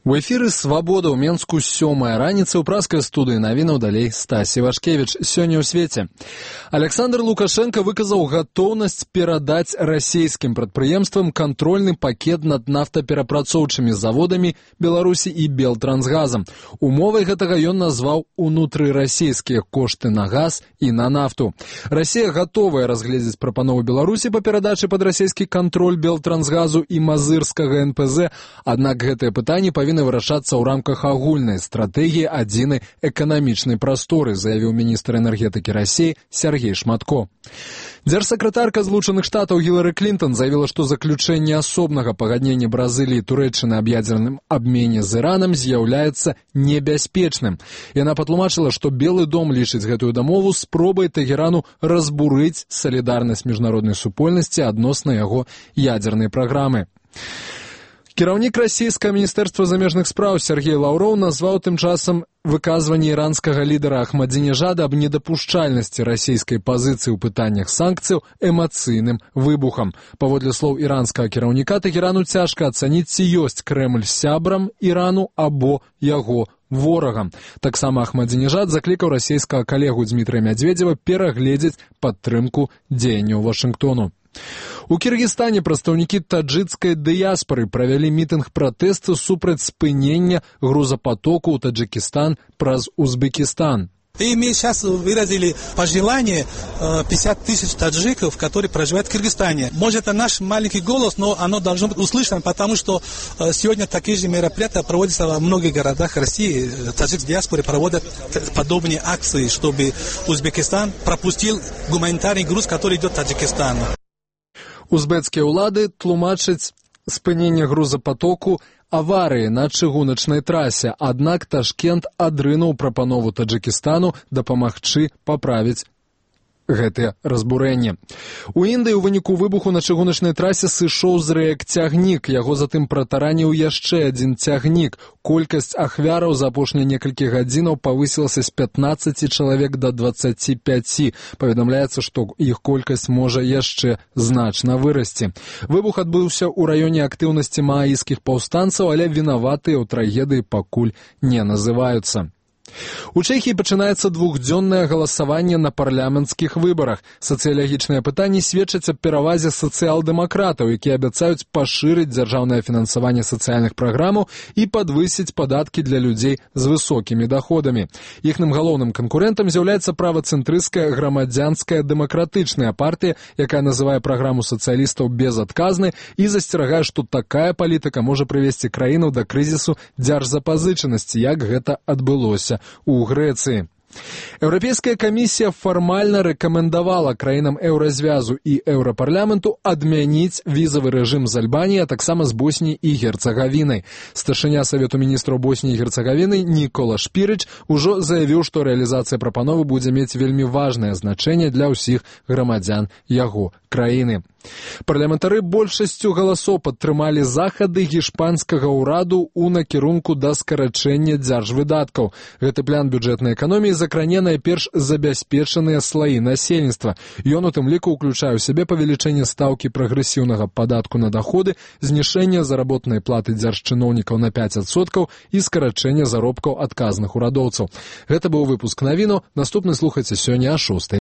У эфіры «Свабода» ў Менску 7-я раніца ў праскай студыі навінаў далей Стась Івашкевіч. Сёння ў свеце. Александр Лукашенко выказаў гатоўнасць перадаць расійскім прадпрыемствам кантрольны пакет над нафтаперапрацоўчымі заводамі Беларусі і Белтрансгазам. Умовай гэтага ён назваў унутрырасійскія кошты на газ і на нафту. Расія гатовая разгледзець прапанову Беларусі па перадачы пад расійскі кантроль Белтрансгазу і мазырскага НПЗ, аднак гэтыя пытанні павінны вырашацца ў рамках агульнай стратэгіі адзінай эканамічнай прасторы, заявіў міністр энергетыкі Расіі Сергей Шматко. Дзяржсакратарка Злучаных Штатаў Гілары Клінтон заявіла, што заключэнне асобнага пагаднення Бразыліі і Турэччыны аб ядзерным абмене з Іранам з'яўляецца небяспечным. Яна патлумачыла, што Белы дом лічыць гэтую дамову спробай Тэгерану разбурыць салідарнасць міжнароднай супольнасці адносна яго ядзернай праграмы. Кіраўнік расійскага міністэрства замежных спраў Сергей Лаўроў назваў тым часам выказванне іранскага лідара Ахмадзінежада аб недапушчальнасці расійскай пазіцыі ў пытаннях санкцыяў эмацыйным выбухам. Паводле слоў іранскага кіраўніка, Тэгерану цяжка ацаніць, ці ёсць Крэмль сябрам Ірану або яго ворагам. Таксама Ахмадзінежад заклікаў расійскага калегу Дмітрыя Мядзведзева перагледзець падтрымку дзеянняў Вашынгтону. У Кіргізстане прадстаўнікі таджыкскай дыяспары правялі мітынг пратэсту супраць спынення грузапатоку ў Таджикистан праз Узбекистан. И мы сейчас выразили пожелание 50 тысяч таджиков, которые проживают в Кыргызстане. Может, это наш маленький голос, но оно должно быть услышано, потому что сегодня такие же мероприятия проводятся во многих городах России. Таджикские диаспоры проводят подобные акции, чтобы Узбекистан пропустил гуманитарный груз, который идет в Таджикистан. Узбецкія ўлады тлумачаць спыненне грузапатоку аварыі на чыгуначнай трасе, аднак Ташкент адрынуў прапанову Таджикистану дапамагчы паправіць гэтае разбурэнне. У Індыі ў выніку выбуху на чыгуначнай трасе сышоў з рэек цягнік, яго затым пратараніў яшчэ адзін цягнік. Колькасць ахвяраў за апошнія некалькі гадзінаў павысілася з 15 чалавек да 25. Паведамляецца, што іх колькасць можа яшчэ значна вырасці. Выбух адбыўся ў раёне актыўнасці мааіскіх паўстанцаў, але вінаватыя ў трагедыі пакуль не называюцца. У Чэхіі пачынаецца двухдзённае галасаванне на парламенцкіх выбарах. Сацыялагічныя пытанні сведчаць аб перавазе сацыял-дэмакратаў, якія абяцаюць пашырыць дзяржаўнае фінансаванне сацыяльных праграмаў і падвысіць падаткі для людзей з высокімі даходамі. Іхным галоўным канкурэнтам з'яўляецца правацэнтрысцкая грамадзянская дэмакратычная партыя, якая называе праграму сацыялістаў безадказнай і засцерагае, што такая палітыка можа прывесці краіну да крызісу дзяржзапазычанасці, як гэта адбылося у Грэцыі. Еўрапейская камісія фармальна рэкамендавала краінам еўразвязу і еўрапарламенту адмяніць візавы рэжым з Альбаніяй, а таксама з Босніяй і Герцагавінай. Старшыня Савету міністраў Босніі і Герцагавіны Нікола Шпірыч ужо заявіў, што рэалізацыя прапановы будзе мець вельмі важнае значэнне для ўсіх грамадзян яго краіны. Парламентары большасцю галасоў падтрымалі захады гішпанскага ўраду ў накірунку да скарачэння дзяржвыдаткаў. Гэты план бюджэтнай эканоміі закране найперш забяспечаныя слаі насельніцтва. Ён у тым ліку ўключае ў сябе павелічэнне стаўкі прагрэсіўнага падатку на даходы, знішэнне заработнай платы дзяржчыноўнікаў на 5% і скарачэнне заробкаў адказных урадоўцаў. Гэта быў выпуск навінаў. Наступны слухайце сёння о 6.